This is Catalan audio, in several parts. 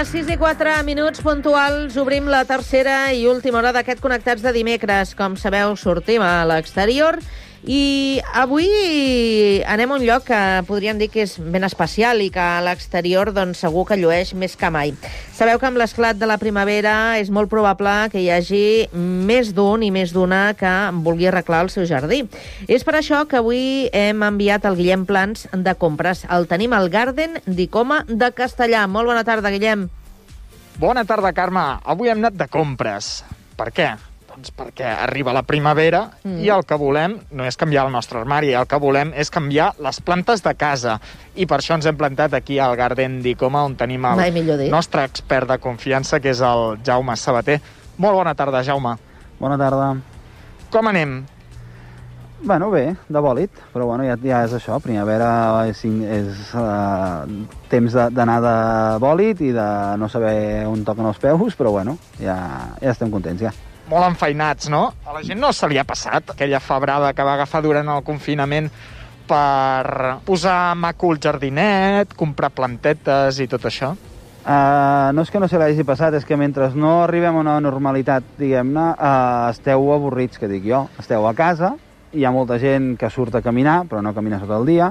les 6:04 puntuals obrim la tercera i última hora d'aquest Connectats de dimecres. Com sabeu, sortim a l'exterior i avui anem a un lloc que podríem dir que és ben especial i que a l'exterior doncs, segur que llueix més que mai. Sabeu que amb l'esclat de la primavera és molt probable que hi hagi més d'un i més d'una que vulgui arreglar el seu jardí. És per això que avui hem enviat el Guillem Plans de compres. El tenim al Garden d'Icoma de Castellà. Molt bona tarda, Guillem. Bona tarda, Carme. Avui hem anat de compres. Per què? Doncs perquè arriba la primavera i el que volem no és canviar el nostre armari, el que volem és canviar les plantes de casa. I per això ens hem plantat aquí al Garden d'Icoma, on tenim el nostre expert de confiança, que és el Jaume Sabater. Molt bona tarda, Jaume. Bona tarda. Com anem? Bueno, bé, de bòlit, però bueno, ja és això. Primavera és temps d'anar de bòlit i de no saber on toquen els peus, però bueno, ja estem contents, ja. Molt enfeinats, no? A la gent no se li ha passat aquella febrada que va agafar durant el confinament per posar maco el jardinet, comprar plantetes i tot això? No és que no se l'hagi passat, és que mentre no arribem a una normalitat, diguem-ne, esteu avorrits, que dic jo. Esteu a casa, hi ha molta gent que surt a caminar, però no camina tot el dia,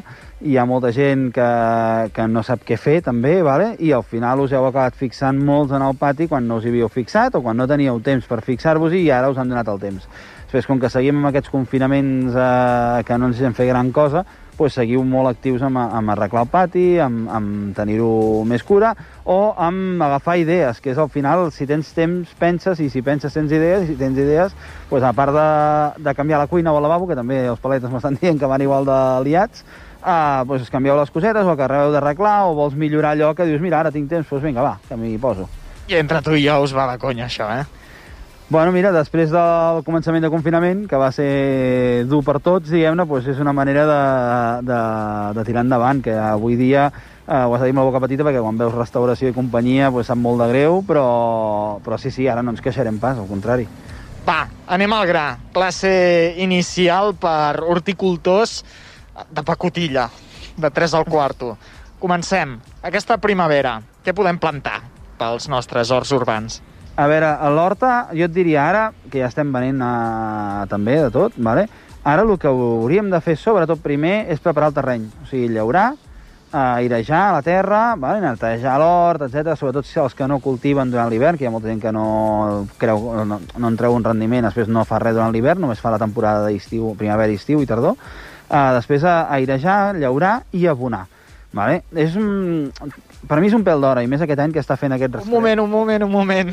hi ha molta gent que no sap què fer, també, vale? I al final us heu acabat fixant molts en el pati quan no us hi havíeu fixat o quan no teníeu temps per fixar-vos-hi i ara us han donat el temps. Després, com que seguim amb aquests confinaments que no ens hem fet gran cosa, doncs seguiu molt actius amb arreglar el pati, amb tenir-ho més cura, o amb agafar idees, que és al final, si tens temps, penses, i si penses tens idees, i si tens idees, doncs a part de canviar la cuina o el lavabo, que també els paletes m'estan dient que van igual de liats, doncs canvieu les cosetes, o que acabeu d'arreglar, o vols millorar allò que dius, mira, ara tinc temps, doncs vinga, va, que m'hi poso. I entre tu i jo us va de conya, això, Bueno, mira, després del començament de confinament, que va ser dur per tots, diguem-ne, doncs és una manera de tirar endavant, que avui dia ho has de dir amb la boca petita, perquè quan veus restauració i companyia doncs sap molt de greu, però sí, ara no ens queixarem pas, al contrari. Va, anem al gra. Classe inicial per horticultors de pacotilla, de 3 al quarto. Comencem. Aquesta primavera, què podem plantar pels nostres horts urbans? A veure, a l'horta, jo et diria ara, que ja estem venent també de tot, vale? Ara el que hauríem de fer, sobretot primer, és preparar el terreny. O sigui, llaurar, airejar la terra, vale? Netejar l'hort, etc. Sobretot si els que no cultiven durant l'hivern, que hi ha molta gent que no en treu un rendiment, després no fa res durant l'hivern, només fa la temporada d'estiu, primavera, estiu i tardor. Després airejar, llaurar i abonar. Vale? Per mi és un pèl d'hora, i més aquest any que està fent aquest rastreig. Un moment.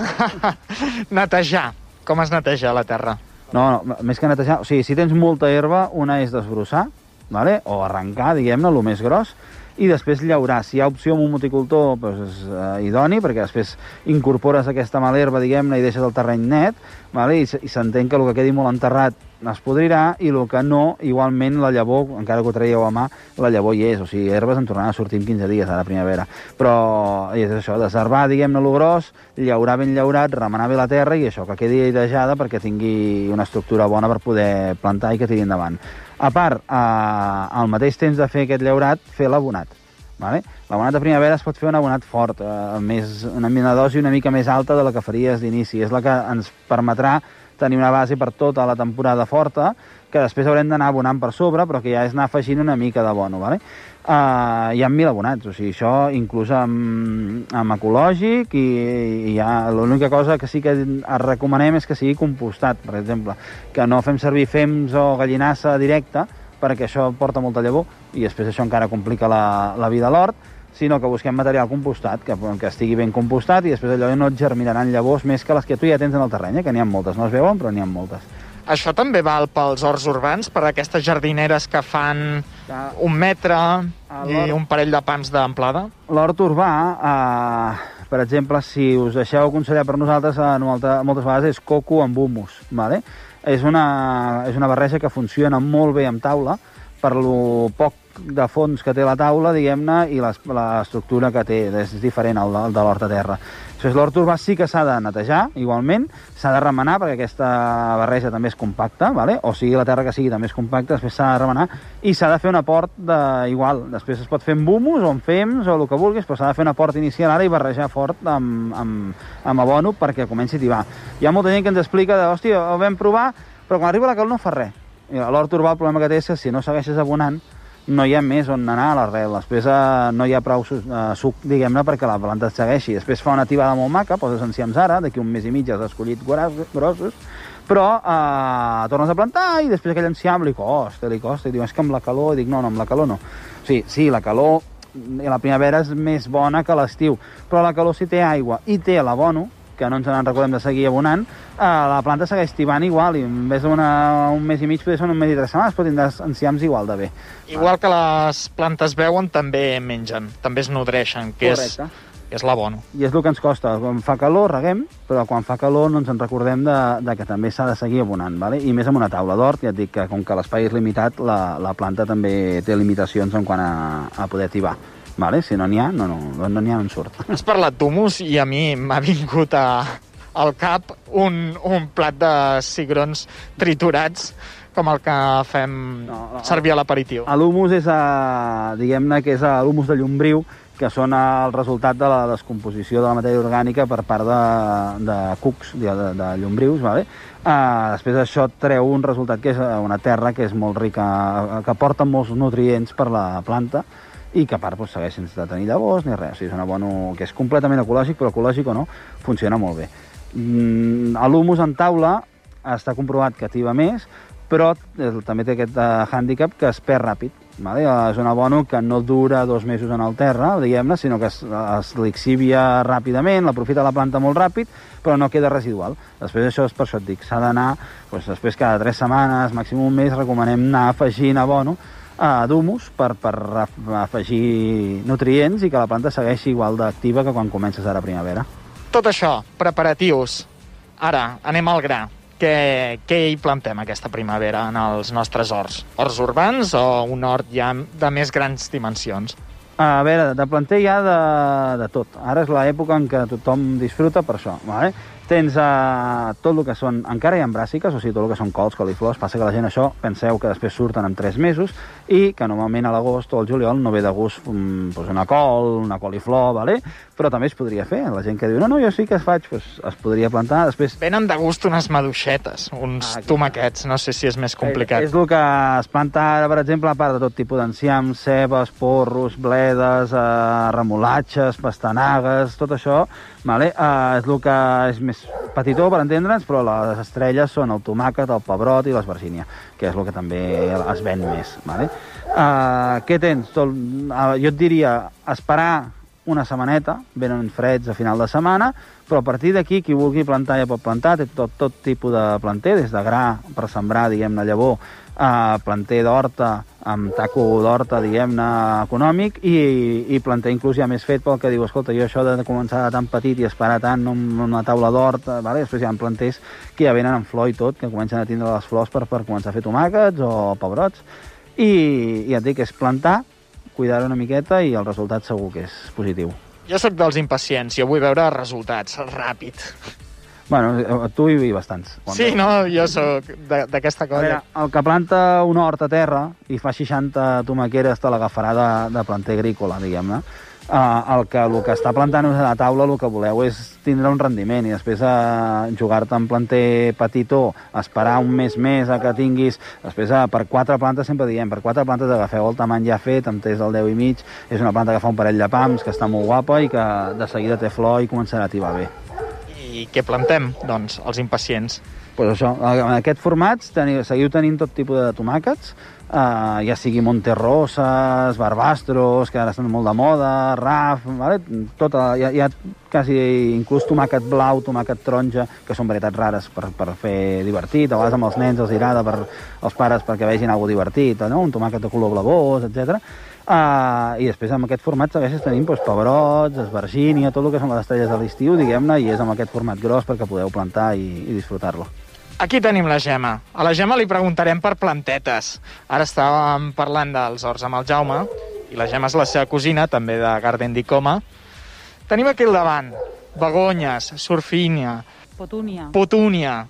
Netejar. Com es neteja la terra? No, més que netejar... O sigui, si tens molta herba, una és desbrossar, vale? O arrencar, diguem-ne, el més gros, i després llaurar. Si hi ha opció amb un moticultor, doncs és idoni, perquè després incorpores aquesta mala herba, diguem-ne, i deixes el terreny net, vale? I s'entén que el que quedi molt enterrat es podrirà, i el que no, igualment la llavor, encara que ho traieu a mà, la llavor hi és, o sigui, herbes en tornaran a sortir en 15 dies a la primavera. Però és això, desherbar, diguem-ne, lo gros, llaurar ben llaurat, remenar bé la terra i això, que quedi airejada perquè tingui una estructura bona per poder plantar i que tiri endavant. A part, al mateix temps de fer aquest llaurat, fer l'abonat. Vale? L'abonat de primavera es pot fer un abonat fort, una dosi una mica més alta de la que faries d'inici. És la que ens permetrà tenir una base per tota la temporada forta, que després haurem d'anar abonant per sobre, però que ja és anar afegint una mica d'abono. Vale? Hi ha 1.000 abonats, o sigui, això inclús amb ecològic, i l'única cosa que sí que recomanem és que sigui compostat, per exemple, que no fem servir fems o gallinassa directa, perquè això porta molta llavor, i després això encara complica la vida a l'hort, sinó que busquem material compostat, que estigui ben compostat, i després allò no et germinaran llavors més que les que tu ja tens en el terreny, que n'hi ha moltes, no es veuen, però n'hi ha moltes. Això també val pels horts urbans, per aquestes jardineres que fan 1 metre i un parell de pams d'amplada? L'hort urbà, per exemple, si us deixeu aconsellar per nosaltres, moltes vegades és coco amb humus, vale? És una barreja que funciona molt bé amb taula, per lo poc de fons que té la taula, diguem-ne, i l'estructura que té, és diferent al de l'hort a terra. Després l'hort urbà sí que s'ha de netejar, igualment, s'ha de remenar perquè aquesta barreja també és compacta, vale? O sigui, la terra que sigui també és compacta, després s'ha de remenar i s'ha de fer un aport igual. Després es pot fer amb humus o amb fems o el que vulguis, però s'ha de fer un aport inicial ara i barrejar fort amb abono perquè comenci a tibar. Hi ha molta gent que ens explica de, hòstia, ho vam provar, però quan arriba la calor no fa res. L'hort urbà el problema que té és que si no segueixes abonant no hi ha més on anar a l'arrel. Després no hi ha prou suc, diguem-ne, perquè la planta et segueixi. Després fa una tibada molt maca, poses enciams ara, d'aquí un mes i mig has escollit grossos, però tornes a plantar i després aquell enciam li costa, i diu, és que amb la calor, i dic, no, amb la calor no. O sigui, sí, la calor a la primavera és més bona que l'estiu, però la calor si té aigua i té l'abono, que no ens en recordem de seguir abonant, la planta segueix tibant igual, i en vez d'un mes i mig, potser són un mes i 3 setmanes, però tindràs enciams igual de bé. Igual que les plantes beuen, també mengen, també es nodreixen, que és l'abono. I és el que ens costa. Quan fa calor, reguem, però quan fa calor no ens en recordem de que també s'ha de seguir abonant, vale? I més amb una taula d'hort, ja et dic que com que l'espai és limitat, la planta també té limitacions en quant a poder tibar. Vale? Si no n'hi ha, no n'hi ha, no en surt. Has parlat d'humus i a mi m'ha vingut al cap un plat de cigrons triturats com el que fem servir a l'aperitiu. L'humus és, diguem-ne, que és l'humus de llombriu, que són el resultat de la descomposició de la matèria orgànica per part de cucs, de llombrius, vale? Després això treu un resultat que és una terra que és molt rica, que porta molts nutrients per la planta, i que a part segueix sense tenir llavors ni res. O sigui, és un abono que és completament ecològic, però ecològic o no, funciona molt bé. L'humus en taula està comprovat que tiba més, però també té aquest hàndicap que es perd ràpid. Vale? És un abono que no dura 2 mesos en el terra, diguem-ne, sinó que es lixivia ràpidament, l'aprofita la planta molt ràpid, però no queda residual. Després això és per això et dic, s'ha d'anar, després cada 3 setmanes, màxim un mes, recomanem anar afegint abono d'humus per afegir nutrients i que la planta segueixi igual d'activa que quan comences ara a primavera. Tot això, preparatius. Ara, anem al gra. Què hi plantem aquesta primavera en els nostres horts? Horts urbans o un hort ja de més grans dimensions? A veure, de planter hi ha de tot. Ara és l'època en què tothom disfruta per això, vale? Tens tot el que són, encara hi ha bràssiques, o sigui, tot el que són cols, coliflors, passa que la gent això, penseu que després surten en 3 mesos i que normalment a l'agost o al juliol no ve de gust una col, una coliflor, vale? Però també es podria fer. La gent que diu, no, jo sí que es faig, es podria plantar. Després venen de gust unes maduixetes, uns tomaquets, no sé si és més complicat. És el que es planta ara, per exemple, a part de tot tipus d'enciams, cebes, porros, bledes, remolatges, pastanagues, tot això, vale? És el que és més petitó, per entendre'ns, però les estrelles són el tomàquet, el pebrot i l'esvergínia, que és el que també es ven més. Vale? Què tens? Jo et diria esperar una setmaneta, venen freds a final de setmana, però a partir d'aquí, qui vulgui plantar ja pot plantar, té tot tipus de planter, des de gra per sembrar, diguem-ne, llavor, planter d'horta, amb taco d'horta, diguem-ne, econòmic, i planter inclús ja més fet pel que diu, escolta, jo això de començar de tan petit i esperar tant en una taula d'horta, vale? Després hi ha planters que ja venen amb flor i tot, que comencen a tindre les flors per començar a fer tomàquets o pebrots, i ja et dic, és plantar, cuidar una miqueta i el resultat segur que és positiu. Jo sóc dels impacients, jo vull veure resultats ràpid. Bueno, tu hi bastants. Sí, no, jo sóc d'aquesta cosa. A veure, el que planta un hort a terra i fa 60 tomaqueres te l'agafarà de planter agrícola, diguem-ne. El que està plantant a la taula, el que voleu és tindre un rendiment i després jugar-te en planter petitó, esperar un mes més a que tinguis, després per 4 plantes sempre diem, per 4 plantes agafeu el tamany ja fet, amb test del 10 i mig, és una planta que fa un parell de pams, que està molt guapa i que de seguida té flor i començarà a tibar bé. I què plantem, doncs, els impacients? Pues això, en aquest format seguiu tenint tot tipus de tomàquets, ja sigui Monterrosas, Barbastros, que ara estan molt de moda, Raf, vale? Hi ha quasi inclús tomàquet blau, tomàquet taronja, que són varietats rares per fer divertit, a vegades amb els nens els agrada els pares perquè vegin alguna cosa divertit, no? Un tomàquet de color blavós, etc. I després amb aquest format segueixes tenint pebrots, esvergínia, tot el que són les estrelles de l'estiu, diguem-ne, i és amb aquest format gros perquè podeu plantar i disfrutar-lo. Aquí tenim la Gemma. A la Gemma li preguntarem per plantetes. Ara estàvem parlant dels horts amb el Jaume, i la Gemma és la seva cosina, també de Garden di Coma. Tenim aquí al davant begonyes, surfínia, petúnia.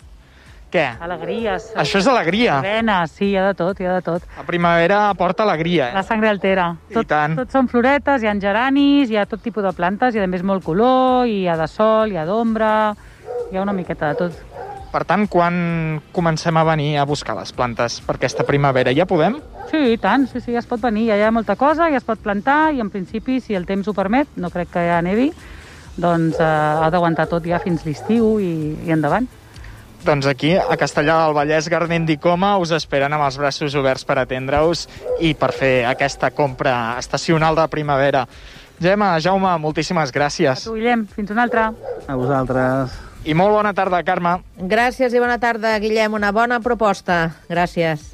Què? Alegries. Això és alegria. Avena, sí, hi ha de tot, hi ha de tot. La primavera porta alegria, La sangre altera. I tant. Tot són floretes, hi ha geranis, hi ha tot tipus de plantes, hi ha a més molt color, hi ha de sol, hi ha d'ombra, hi ha una miqueta de tot. Per tant, quan comencem a venir a buscar les plantes per aquesta primavera? Ja podem? Sí, i tant, sí, ja es pot venir, ja hi ha molta cosa, ja es pot plantar i en principi, si el temps ho permet, no crec que ja nevi, doncs ha d'aguantar tot ja fins l'estiu i endavant. Doncs aquí, a Castellar del Vallès, Gardent i Coma, us esperen amb els braços oberts per atendre-us i per fer aquesta compra estacional de primavera. Gemma, Jaume, moltíssimes gràcies. A tu, Guillem, fins una altra. A vosaltres. I molt bona tarda, Carme. Gràcies i bona tarda, Guillem. Una bona proposta. Gràcies.